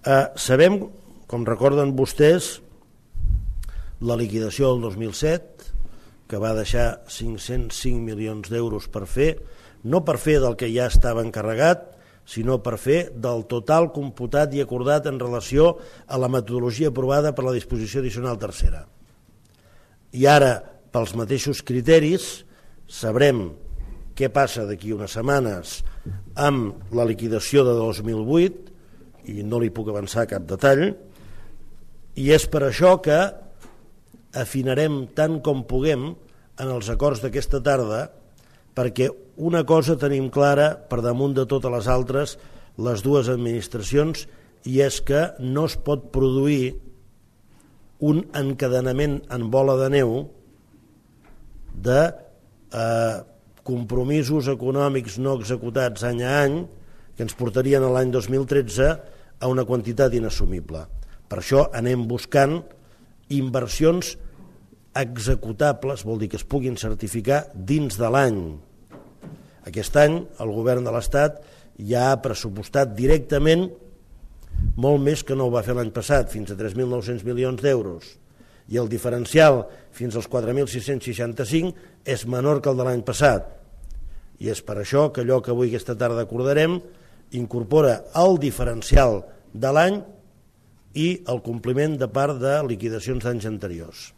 Sabem, com recorden vostès, la liquidació del 2007, que va deixar 505 milions d'euros per fer, no per fer del que ja estava encarregat, sinó per fer del total computat i acordat en relació a la metodologia aprovada per la disposició addicional tercera. I ara, pels mateixos criteris, sabrem què passa d'aquí unes setmanes amb la liquidació de 2008, i no li puc avançar cap detall, i és per això que afinarem tant com puguem en els acords d'aquesta tarda, perquè una cosa tenim clara per damunt de totes les altres, les dues administracions, i és que no es pot produir un encadenament en bola de neu de compromisos econòmics no executats any a any que ens portarien a l'any 2013 a una quantitat inassumible. Per això anem buscant inversions executables, vol dir que es puguin certificar dins de l'any. Aquest any el govern de l'Estat ja ha pressupostat directament molt més que no ho va fer l'any passat, fins a 3.900 milions d'euros, i el diferencial fins als 4.665 és menor que el de l'any passat. I és per això que allò que avui aquesta tarda acordarem incorpora el diferencial de l'any i el compliment de part de liquidacions d'anys anteriors.